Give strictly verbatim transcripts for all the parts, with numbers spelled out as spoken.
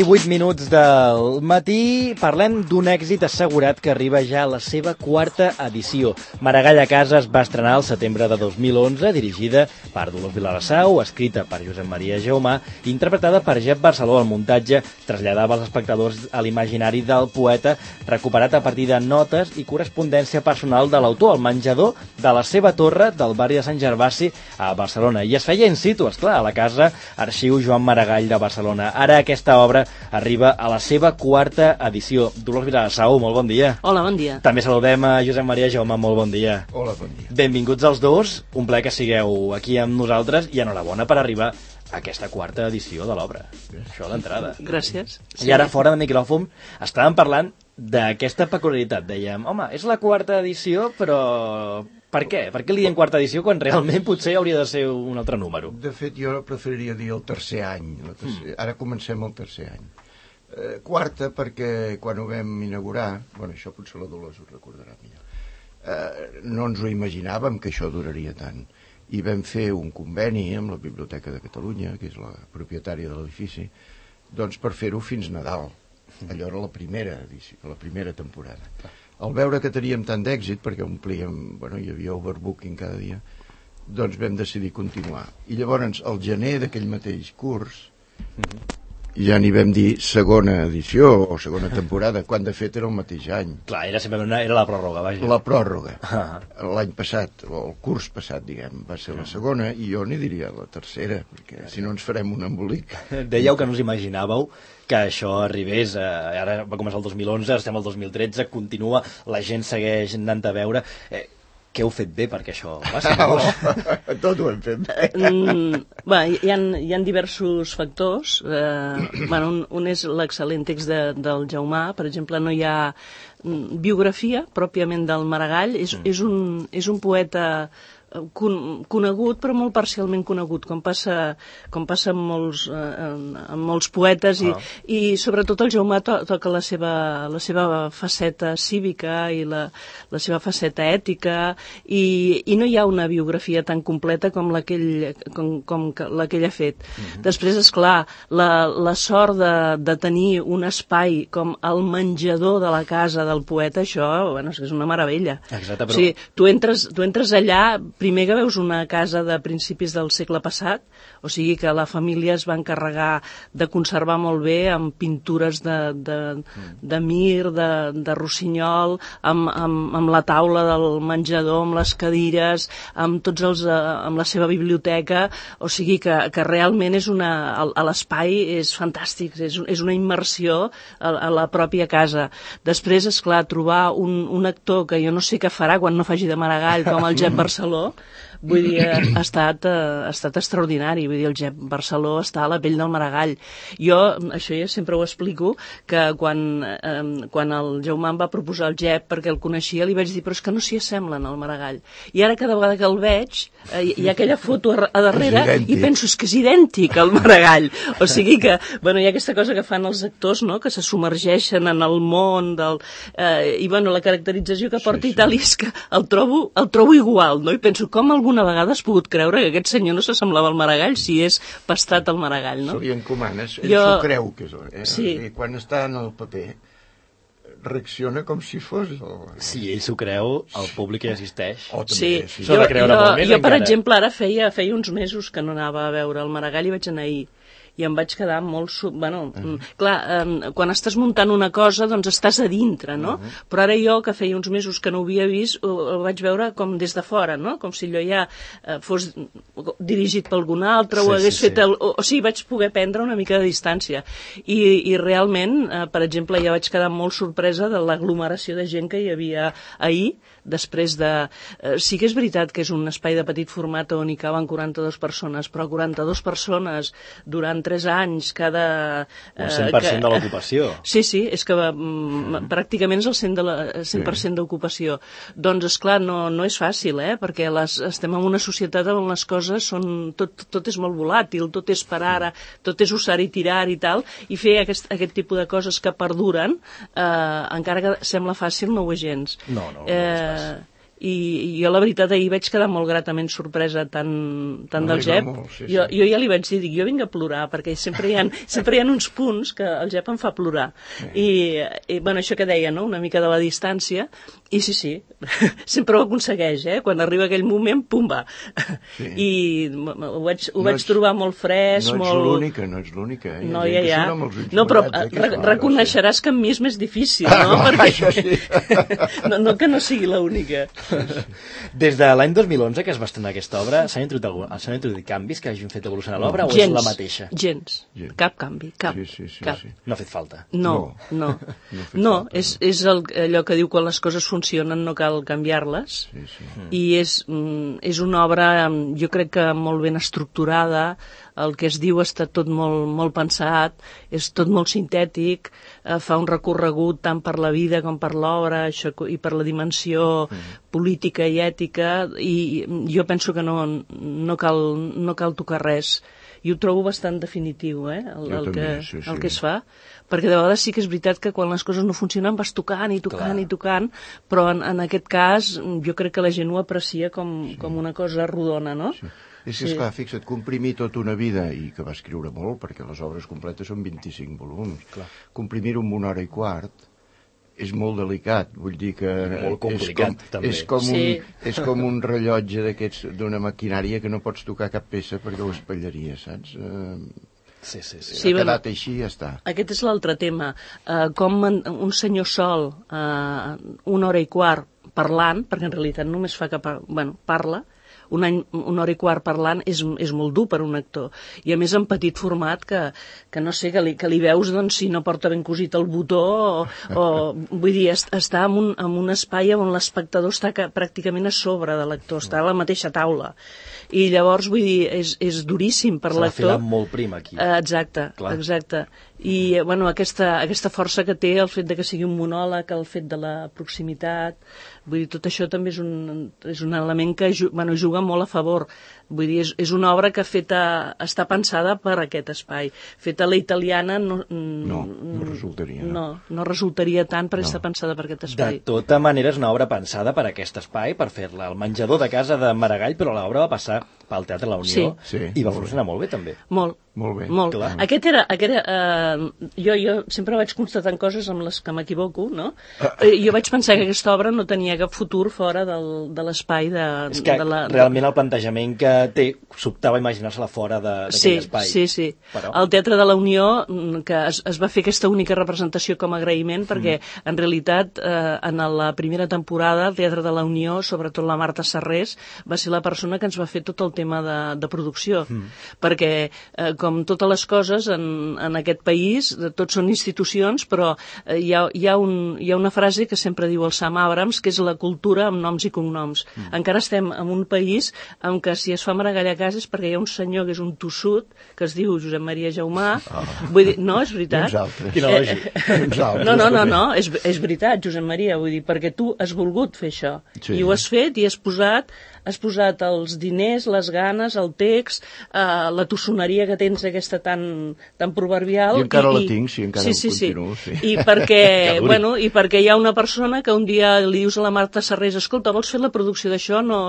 vint-i-vuit minuts del matí. Parlem d'un èxit assegurat que arriba ja a la seva quarta edició. Maragall a casa es va estrenar al setembre de dos mil onze, dirigida per Dolors Vilassau, escrita per Josep Maria Jaumà, interpretada per Jep Barceló. El muntatge traslladava als espectadors a l'imaginari del poeta, recuperat a partir de notes i correspondència personal de l'autor, al menjador de la seva torre del barri de Sant Gervasi a Barcelona. I es feia in situ, esclar, a la casa Arxiu Joan Maragall de Barcelona. Ara aquesta obra arriba a la seva quarta edició. Dolors Vilassau, molt bon dia. Hola, bon dia. També saludem a Josep Maria Jaumà, molt bon dia. Hola, bon dia. Benvinguts els dos, un plaer que sigueu aquí amb nosaltres i enhorabona per arribar a aquesta quarta edició de l'obra. Això d'entrada. Gràcies. I ara, fora de micròfon, estàvem parlant d'aquesta peculiaritat. Dèiem, home, és la quarta edició, però per què? Per què li diem quarta edició quan realment potser hauria de ser un altre número? De fet, jo preferiria dir el tercer any. El tercer... Mm. Ara comencem el tercer any. Eh, quarta perquè quan ho vam inaugurar, bueno, això potser la Dolors ho recordarà millor, eh, no ens ho imaginàvem que això duraria tant. I vam fer un conveni amb la Biblioteca de Catalunya, que és la propietària de l'edifici, doncs per fer-ho fins Nadal. Allò era la primera edició, la primera temporada. Al veure que teníem tant d'èxit, perquè omplíem, bueno, hi havia overbooking cada dia, doncs vam decidir continuar. I llavors, al gener d'aquell mateix curs, mm-hmm. ja n'hi vam dir segona edició o segona temporada, quan de fet era el mateix any. Clar, era sempre una, era la pròrroga, vaja. La pròrroga. Ah. L'any passat, o el curs passat, diguem, va ser la segona, i jo n'hi diria la tercera, perquè si no ens farem un embolic. Dèieu que no us imaginàveu que això arribés, eh, ara va començar el dos mil onze, estem al dos mil tretze, continua, la gent segueix anant a veure. Eh, què heu fet bé perquè això passi? Oh, tot ho hem fet bé. Mm, bé, hi ha, hi ha diversos factors. Eh, bueno, un, un és l'excel·lent text de, del Jaumà. Per exemple, no hi ha biografia pròpiament del Maragall. És, mm. és, un, és un poeta Con, conegut, però molt parcialment conegut, com passa, com passa amb, molts, eh, amb molts poetes, ah. i, i sobretot el Jaumà to, toca la seva, la seva faceta cívica i la, la seva faceta ètica, i, i no hi ha una biografia tan completa com la que ell, com, com la que ell ha fet. Mm-hmm. Després, esclar, la, la sort de, de tenir un espai com el menjador de la casa del poeta, això, bueno, és una meravella. Exacte, però... O sigui, tu entres, tu entres allà, primer que veus una casa de principis del segle passat, o sigui que la família es va encarregar de conservar molt bé amb pintures de, de, de Mir, de, de Rossinyol, amb, amb, amb la taula del menjador, amb les cadires, amb tots els, amb la seva biblioteca, o sigui que, que realment és una, a l'espai és fantàstic, és, és una immersió a, a la pròpia casa. Després, esclar, trobar un, un actor que jo no sé què farà quan no faci de Maragall, com el Jep Barceló, vull dir, ha estat, ha estat extraordinari. Vull dir, el Jep Barceló està a la pell del Maragall. Jo, això ja sempre ho explico, que quan, eh, quan el Jaumà em va proposar el Jep, perquè el coneixia, li vaig dir, però és que no s'hi assemblen al Maragall. I ara cada vegada que el veig, eh, hi ha aquella foto a, a darrere i penso, és que és idèntic al Maragall. O sigui que, bueno, hi ha aquesta cosa que fan els actors, no?, que se submergeixen en el món del... Eh, i, bueno, la caracterització que porta sí, sí. Itàlia és que el trobo, el trobo igual, no? I penso, com alguna vegada has pogut creure que aquest senyor no s'assemblava al Maragall si és pastat al Maragall, no? Se li encomanes, ell jo... s'ho creu que és, eh? Sí. I quan està en el paper reacciona com si fos... El... Si ell s'ho creu, el públic hi assisteix. Oh, també, sí, sí. jo, jo, jo per encara. exemple, ara feia, feia uns mesos que no anava a veure el Maragall i vaig anar ahir. I em vaig quedar molt... Sub... Bueno, uh-huh. clar, eh, quan estàs muntant una cosa, doncs estàs a dintre, no? Uh-huh. Però ara jo, que feia uns mesos que no ho havia vist, ho, ho vaig veure com des de fora, no? Com si allò ja eh, fos dirigit per algun altre, sí, o hagués sí, fet... El... O, o sigui, vaig poder prendre una mica de distància. I, i realment, eh, per exemple, ja vaig quedar molt sorpresa de l'aglomeració de gent que hi havia ahir, després de... Eh, sí que és veritat que és un espai de petit format on hi caben quaranta-dues persones, però quaranta-dues persones durant tres anys, cada... Eh, un cent per cent que, de l'ocupació. Sí, sí, és que mm. pràcticament és el cent per cent d'ocupació. Doncs, esclar, no, no és fàcil, eh? Perquè les, estem en una societat on les coses són... Tot, tot és molt volàtil, tot és per ara, tot és usar i tirar i tal, i fer aquest, aquest tipus de coses que perduren, eh, encara que sembla fàcil, no ho és gens. No, no, no és fàcil. i, i jo la veritat ahir vaig quedar molt gratament sorpresa tant, tant del Jep. Molt, sí, sí. Jo, jo ja li vaig dir, dic, jo vinc a plorar, perquè sempre hi ha, sempre hi ha uns punts que el Jep em fa plorar. Sí. I, i, bueno, això que deia, no?, una mica de la distància, i sí, sí, sempre ho aconsegueix, eh? Quan arriba aquell moment, pum, va. Sí. I ho vaig, ho no vaig ets, trobar molt fresc, no molt... No ets l'única, no ets l'única, eh? No, ja, ja. No, però eh, re reconeixeràs que amb mi és més difícil, no? Ah, perquè... això sí. no, no que no sigui l'única. Des de l'any dos mil onze que es va estrenar aquesta obra, s'han introduït, introduït canvis que hagin fet evolucionar l'obra o és la mateixa? Gens, gens. Cap canvi, cap. Sí, sí, sí, cap. sí. No ha fet falta? No, no. No, no, no falta, és, no. és el, allò que diu quan les coses funcionen no cal canviar-les. Sí, sí. I és, és una obra, jo crec que molt ben estructurada, el que es diu està tot molt, molt pensat, és tot molt sintètic, eh, fa un recorregut tant per la vida com per l'obra i per la dimensió mm. política i ètica, i jo penso que no, no, cal, no cal tocar res. I ho trobo bastant definitiu, eh, el, el, també, que, sí, sí. el que es fa, perquè de vegades sí que és veritat que quan les coses no funcionen vas tocant i tocant Clar. i tocant, però en, en aquest cas jo crec que la gent ho aprecia com, sí. com una cosa rodona, no? Sí. És que, esclar, sí. fixa't, comprimir tota una vida, i que va escriure molt, perquè les obres completes són vint-i-cinc volums, comprimir-ho en una hora i quart és molt delicat, vull dir que... Molt complicat, és com, també. És com, sí. un, és com un rellotge d'aquests d'una maquinària que no pots tocar cap peça perquè ho espallaria, saps? Uh, sí, sí, sí. sí ha quedat bueno, així i ja està. Aquest és l'altre tema. Uh, com un senyor sol, uh, una hora i quart parlant, perquè en realitat només fa que par bueno, parla, un any, una hora i quart parlant és, és molt dur per un actor. I a més en petit format que, que no sé, que li, que li veus doncs, si no porta ben cosit el botó o, o vull dir, està en un, en un espai on l'espectador està que, pràcticament a sobre de l'actor, està a la mateixa taula. I llavors, vull dir, és, és duríssim per l'actor. S'ha de filar molt prim aquí. Uh, exacte, Clar. exacte. I bueno, aquesta, aquesta força que té, el fet de que sigui un monòleg, el fet de la proximitat, vull dir, tot això també és un, és un element que bueno, juga molt a favor. Vull dir, és, és una obra que feta, està pensada per aquest espai. Feta a la italiana no, no, no resultaria. No, no resultaria tant per no. estar pensada per aquest espai. De tota manera, és una obra pensada per aquest espai, per fer-la al menjador de casa de Maragall, però l'obra va passar pel Teatre La Unió sí. Sí, i va funcionar molt bé, també. Molt. Molt bé. Molt. Aquest era... Aquest era uh, jo, jo sempre vaig constatant coses amb les que m'equivoco, no? Uh, jo vaig pensar que aquesta obra no tenia cap futur fora del, de l'espai de, és que de la... realment el plantejament que té sobtava imaginar-se-la fora d'aquell sí, espai. Sí, sí, Però... El Teatre de la Unió, que es, es va fer aquesta única representació com a agraïment, perquè mm. en realitat eh, en la primera temporada el Teatre de la Unió, sobretot la Marta Sarrés, va ser la persona que ens va fer tot el tema de, de producció, mm. perquè eh, com totes les coses en, en aquest país, tots són institucions, però eh, hi, ha, hi, ha un, hi ha una frase que sempre diu el Sam Abrams, que és la cultura amb noms i cognoms. Mm. Encara estem en un país en què si es fa Maragall a casa és perquè hi ha un senyor que és un tossut, que es diu Josep Maria Jaumà. Oh. Vull dir, no, és veritat. Uns altres. Quina lògica. Eh, eh, no, no, no, no, és, és veritat, Josep Maria, vull dir, perquè tu has volgut fer això. Sí. I ho has fet i has posat has posat els diners, les ganes, el text, eh, la tossoneria que tens aquesta tan, tan proverbial. I encara i, la tinc, sí, encara sí, sí, continuo. Sí. I, perquè, bueno, I perquè hi ha una persona que un dia li dius a la Marta Sarrés, escolta, vols fer la producció d'això? No,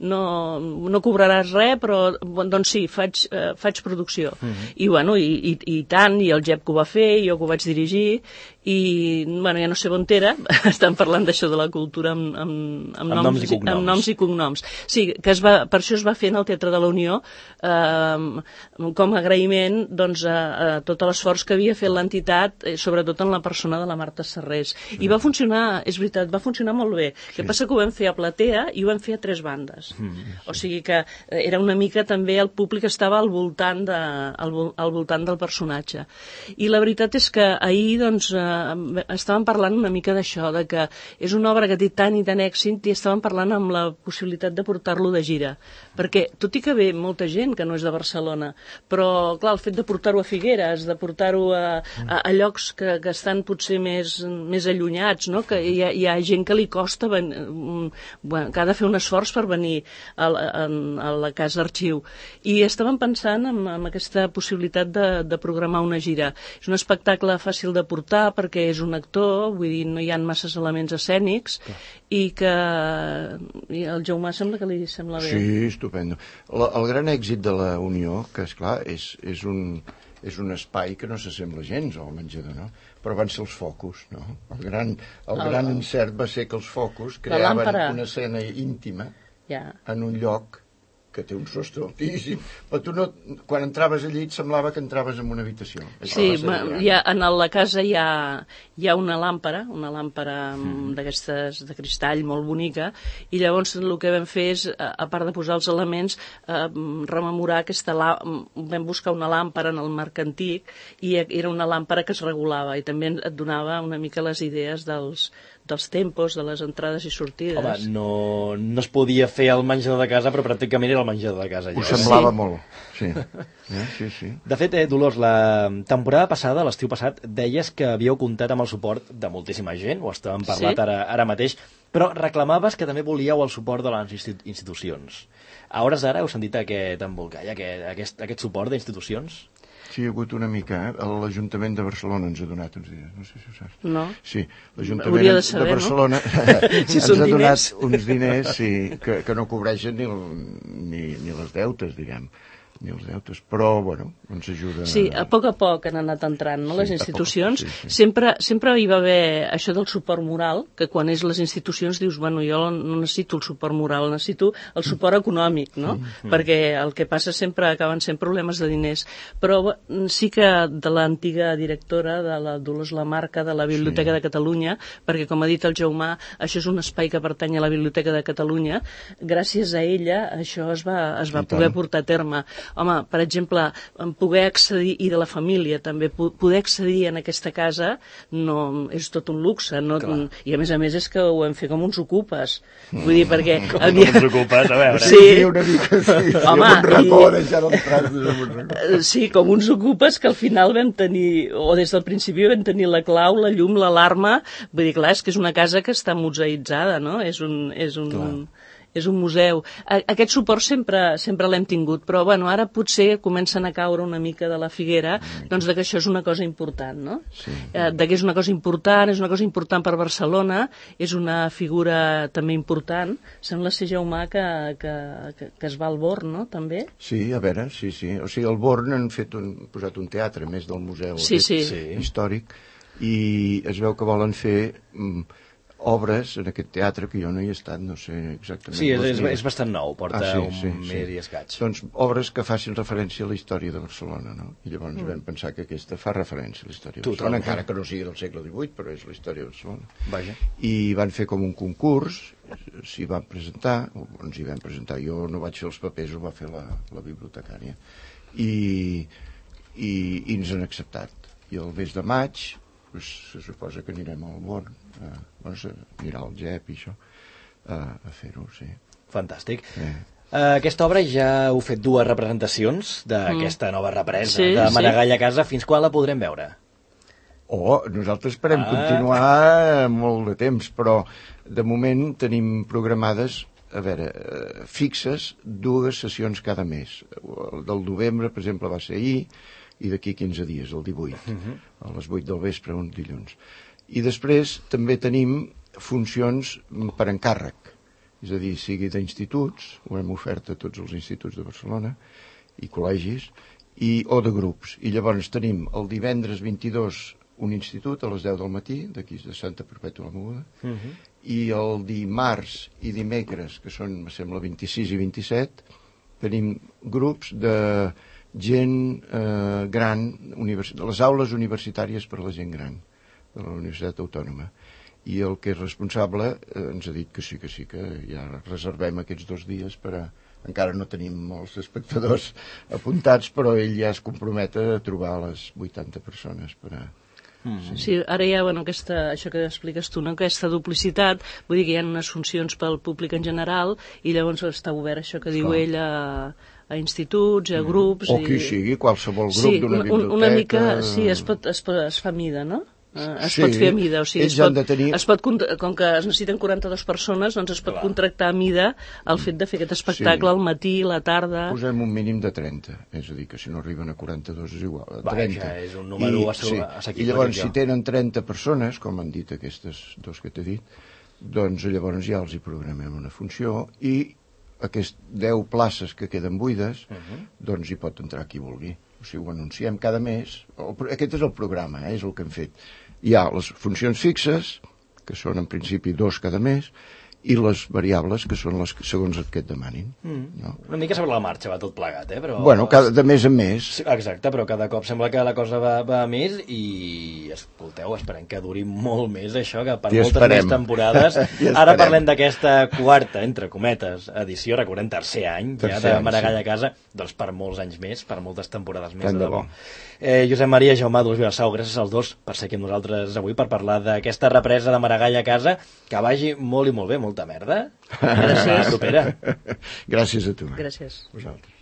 no, no cobraràs res, però doncs sí, faig, eh, faig producció. Uh -huh. I, bueno, i, i, i tant, i el Jep que ho va fer, jo que ho vaig dirigir, i bueno, ja no sé on era, estan parlant d'això de la cultura amb, amb, amb, amb, noms, noms i cognoms. amb noms i cognoms. Sí, que es va, per això es va fer en el Teatre de la Unió eh, com a agraïment doncs, a, a tot l'esforç que havia fet l'entitat, eh, sobretot en la persona de la Marta Sarrés. I va funcionar, és veritat, va funcionar molt bé. El que passa que ho vam fer a platea i ho vam fer a tres bandes. Mm, sí. O sigui que era una mica també el públic estava al voltant, de, al, al voltant del personatge. I la veritat és que ahir doncs, eh, estàvem parlant una mica d'això, de que és una obra que té tant i tant èxit i estàvem parlant amb la possibilitat de portar-lo de gira. Perquè, tot i que ve molta gent que no és de Barcelona, però, clar, el fet de portar-ho a Figueres, de portar-ho a, a, a llocs que, que estan potser més, més allunyats, no? Que hi ha, hi ha gent que li costa, ben, bueno, que ha de fer un esforç per venir a, a, a la casa arxiu. I estàvem pensant en, en aquesta possibilitat de, de programar una gira. És un espectacle fàcil de portar perquè és un actor, vull dir, no hi ha masses elements escènics, i que i el Jaume sembla que li sembla bé. Sí, estupendo. La, el gran èxit de la Unió, que esclar, és, és, un, és un espai que no s'assembla gens al menjador, no? Però van ser els focus, no? El gran, el el, gran encert va ser que els focus creaven una escena íntima ja. en un lloc que té un sostre altíssim, però tu no, quan entraves allí et semblava que entraves en una habitació. Sí, ha, en la casa hi ha, hi ha una làmpara, una làmpara mm. d'aquestes de cristall molt bonica, i llavors el que vam fer és, a part de posar els elements, eh, rememorar aquesta làmpara, vam buscar una làmpara en el marc antic, i era una làmpara que es regulava, i també et donava una mica les idees dels dels tempos, de les entrades i sortides. Home, no, no es podia fer el menjador de casa, però pràcticament era el menjador de casa. Ho semblava sí. molt, sí. Eh, sí, sí. De fet, eh, Dolors, la temporada passada, l'estiu passat, deies que havíeu comptat amb el suport de moltíssima gent, ho estàvem parlat sí. ara, ara mateix, però reclamaves que també volíeu el suport de les institucions. A hores d'ara heu sentit aquest embolcall, aquest, aquest, aquest suport d'institucions? Sí, hi ha hagut una mica, eh? L'Ajuntament de Barcelona ens ha donat uns diners, no sé si ho saps. No. Sí, l'Ajuntament de, saber, de Barcelona no? si ens ha donat diners. uns diners sí, que, que no cobreixen ni, ni, ni les deutes, diguem, ni els deutes, però, bueno, ens ajuda... Sí, a poc a poc han anat entrant, no?, sí, les institucions. Poc, sí, sí. Sempre, sempre hi va haver això del suport moral, que quan és les institucions dius, bueno, jo no necessito el suport moral, necessito el suport econòmic, no? Mm. Perquè el que passa sempre acaben sent problemes de diners. Però sí que de l'antiga directora de la Dolors Lamarca de la Biblioteca sí. de Catalunya, perquè com ha dit el Jaume, això és un espai que pertany a la Biblioteca de Catalunya, gràcies a ella això es va, es va poder portar a terme. Home, per exemple, poder accedir, i de la família també, poder accedir en aquesta casa no, és tot un luxe, no, i a més a més és que ho hem fet com uns ocupes. Vull dir, perquè... Com havia... uns ocupes, a veure. Sí, sí una mica, sí. Home, un racó, i... deixar els trastos. Sí, com uns ocupes que al final vam tenir, o des del principi vam tenir la clau, la llum, l'alarma, vull dir, clar, és que és una casa que està museïtzada, no? És un... És un clar. És un museu. Aquest suport sempre, sempre l'hem tingut, però bueno, ara potser comencen a caure una mica de la figuera, doncs de que això és una cosa important, no? Sí. Eh, de que és una cosa important, és una cosa important per Barcelona, és una figura també important. Sembla ser, Jaume, que, que, que, que es va al Born, no?, també? Sí, a veure, sí, sí. O sigui, al Born han fet un, posat un teatre, més del museu sí, sí. històric, i es veu que volen fer... Mm, obres en aquest teatre, que jo no hi he estat, no sé exactament... Sí, és, és, és bastant nou, porta ah, sí, un sí, mes sí. i escaig. Doncs obres que facin referència a la història de Barcelona, no? I llavors mm. vam pensar que aquesta fa referència a la història de Barcelona, encara que no sigui del segle divuit, però és la història de Barcelona. Vaja. I van fer com un concurs, s'hi van presentar, o ens hi vam presentar, jo no vaig fer els papers, ho va fer la, la bibliotecària, i, i, i ens han acceptat. I el mes de maig... Pues, se suposa que anirem al Born, a, doncs, a mirar el G E P i això, a, a fer-ho, sí. Fantàstic. Eh. Uh, aquesta obra ja heu fet dues representacions d'aquesta mm. nova represa sí, de Maragall sí. a casa. Fins quan la podrem veure? Oh, nosaltres esperem ah. continuar molt de temps, però de moment tenim programades, a veure, eh, fixes dues sessions cada mes. El del novembre, per exemple, va ser ahir, i d'aquí quinze dies, el divuit, uh-huh. a les vuit del vespre, un dilluns. I després també tenim funcions per encàrrec, és a dir, sigui d'instituts, ho hem ofert a tots els instituts de Barcelona, i col·legis, i, o de grups. I llavors tenim el divendres vint-i-dos un institut a les deu del matí, d'aquí de Santa Perpètua la Moguda, uh-huh. i el dimarts i dimecres, que són, em sembla, vint-i-sis i vint-i-set, tenim grups de... gent eh, gran, les aules universitàries per a la gent gran de la Universitat Autònoma, i el que és responsable eh, ens ha dit que sí, que sí, que ja reservem aquests dos dies per a... encara no tenim molts espectadors apuntats, però ell ja es compromet a trobar les vuitanta persones per a... Mm. Sí. Sí, ara hi ha, bueno, aquesta, això que expliques tu, no? Aquesta duplicitat, vull dir que hi ha unes funcions pel públic en general, i llavors està obert això que diu ell a... a instituts, a grups... O qui i... sigui, qualsevol grup sí, d'una biblioteca... Una mica, sí, es, pot, es, pot, es fa mida, no? Es sí, pot fer a mida, o sigui, es pot, tenir... es pot, com que es necessiten quaranta-dues persones, doncs es pot Clar. contractar a mida el fet de fer aquest espectacle sí. al matí, a la tarda... Posem un mínim de trenta, és a dir, que si no arriben a quaranta-dos és igual, a trenta. Vaja, és un número I, assequible. Sí. I llavors, si tenen trenta persones, com han dit aquestes dos que t'he dit, doncs llavors ja els hi programem una funció i aquestes deu places que queden buides, uh-huh. doncs hi pot entrar qui vulgui. O sigui, ho anunciem cada mes. El, aquest és el programa, eh, és el que hem fet. Hi ha les funcions fixes, que són en principi dos cada mes, i les variables, que són les que segons el que et demanin. Mm. No? Una mica sobre la marxa va tot plegat, eh? Però... Bueno, cada, de mes en mes. Exacte, però cada cop sembla que la cosa va, va a més i, escolteu, esperem que duri molt més això, que per I moltes esperem. més temporades. Ara parlem d'aquesta quarta, entre cometes, edició, recordem, tercer any, tercer ja de Maragall a casa, doncs per molts anys més, per moltes temporades més. Tant de bo. Eh, Josep Maria, Jaume Dolors Vilassau, gràcies als dos per ser aquí amb nosaltres avui per parlar d'aquesta represa de Maragall a casa, que vagi molt i molt bé, molta merda. Gràcies. Propera. Gràcies a tu. Gràcies. Vosaltres.